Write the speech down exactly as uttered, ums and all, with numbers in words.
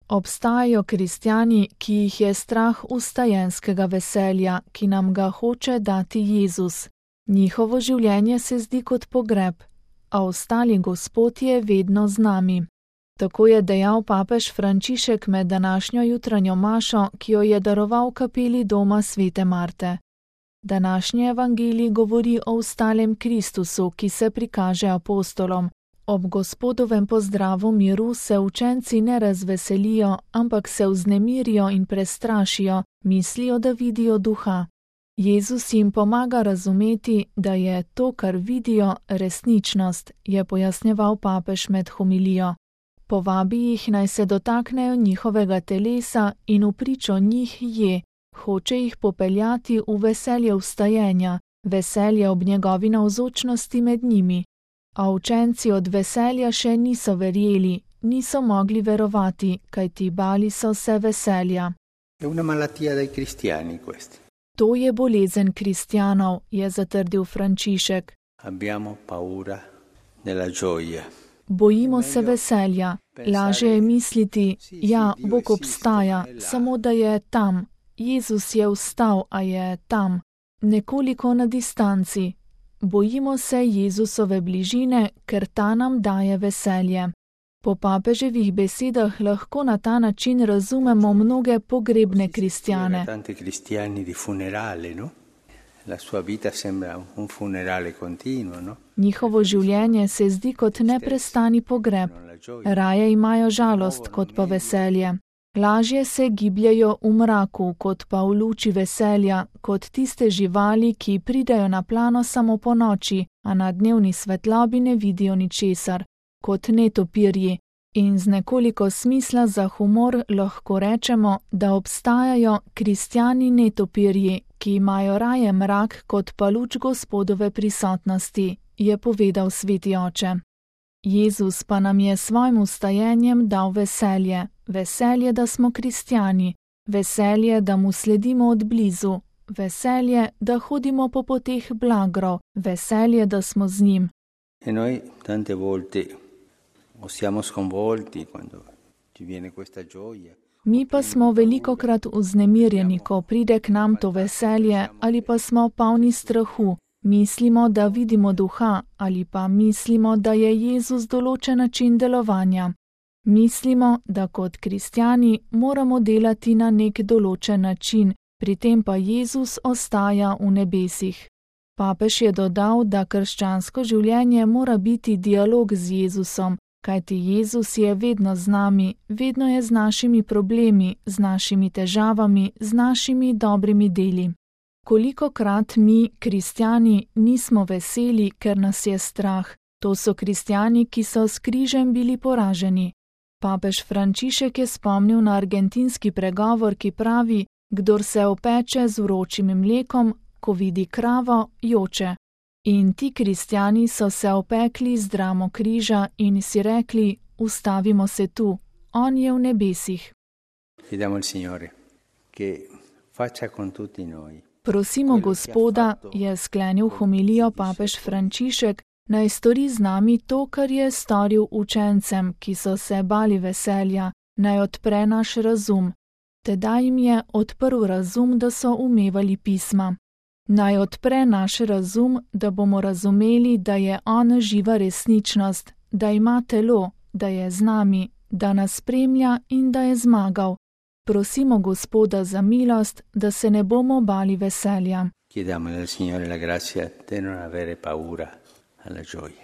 Obstajajo kristjani, ki jih je strah vstajenskega veselja, ki nam ga hoče dati Jezus. Njihovo življenje se zdi kot pogreb, a ostali Gospod je vedno z nami. Tako je dejal papež Frančišek med današnjo jutranjo mašo, ki jo je daroval kapeli doma svete Marte. Današnji evangelij govori o vstalem Kristusu, ki se prikaže apostolom. Ob Gospodovem pozdravu miru se učenci ne razveselijo, ampak se vznemirijo in prestrašijo, mislijo, da vidijo duha. Jezus jim pomaga razumeti, da je to, kar vidijo, resničnost, je pojasnjeval papež med homilijo. Povabi jih, naj se dotaknejo njihovega telesa in v pričo njih je, hoče jih popeljati v veselje vstajenja, veselje ob njegovi navzočnosti med njimi. A učenci od veselja še niso verjeli, niso mogli verovati, kajti bali so se veselja. To je bolezen kristjanov, je zatrdil Frančišek. Bojimo se veselja. Lažje je misliti, ja, Bog obstaja, samo da je tam. Jezus je vstal, a je tam, nekoliko na distanci. Bojimo se Jezusove bližine, ker ta nam daje veselje. Po papeževih besedah lahko na ta način razumemo mnoge pogrebne kristjane. Njihovo življenje se zdi kot neprestani pogreb. Raje imajo žalost kot pa veselje. Lažje se gibljajo v mraku, kot pa v luči veselja, kot tiste živali, ki pridejo na plano samo po noči, a na dnevni svetlobi ne vidijo ničesar, kot netopirji. In z nekoliko smisla za humor lahko rečemo, da obstajajo kristjani netopirji, ki imajo raje mrak kot pa luč Gospodove prisotnosti, je povedal sveti oče. Jezus pa nam je svojim vstajenjem dal veselje, veselje, da smo kristjani, veselje, da mu sledimo od blizu, veselje, da hodimo po poteh blagrov, veselje, da smo z njim. E noi tante volte siamo sconvolti quando ci viene questa gioia. Mi pa smo velikokrat vznemirjeni, ko pride k nam to veselje, ali pa smo polni strahu. Mislimo, da vidimo duha, ali pa mislimo, da je Jezus določen način delovanja. Mislimo, da kot kristjani moramo delati na nek določen način, pri tem pa Jezus ostaja v nebesih. Papež je dodal, da krščansko življenje mora biti dialog z Jezusom, kajti Jezus je vedno z nami, vedno je z našimi problemi, z našimi težavami, z našimi dobrimi deli. Kolikokrat mi, kristjani, nismo veseli, ker nas je strah. To so kristjani, ki so s križem bili poraženi. Papež Frančišek je spomnil na argentinski pregovor, ki pravi, kdor se opeče z vročim mlekom, ko vidi kravo, joče. In ti kristjani so se opekli z dramo križa in si rekli, ustavimo se tu, on je v nebesih. Chiediamo al Signore che faccia con tutti noi. Prosimo Gospoda, je sklenil homilijo papež Frančišek, naj stori z nami to, kar je storil učencem, ki so se bali veselja, naj odpre naš razum. Tedaj jim je odprl razum, da so umevali pisma. Naj odpre naš razum, da bomo razumeli, da je on živa resničnost, da ima telo, da je z nami, da nas spremlja in da je zmagal. Prosimo Gospoda za milost, da se ne bomo bali veselja. Chiediamo al Signore la grazia di non avere paura alla gioia.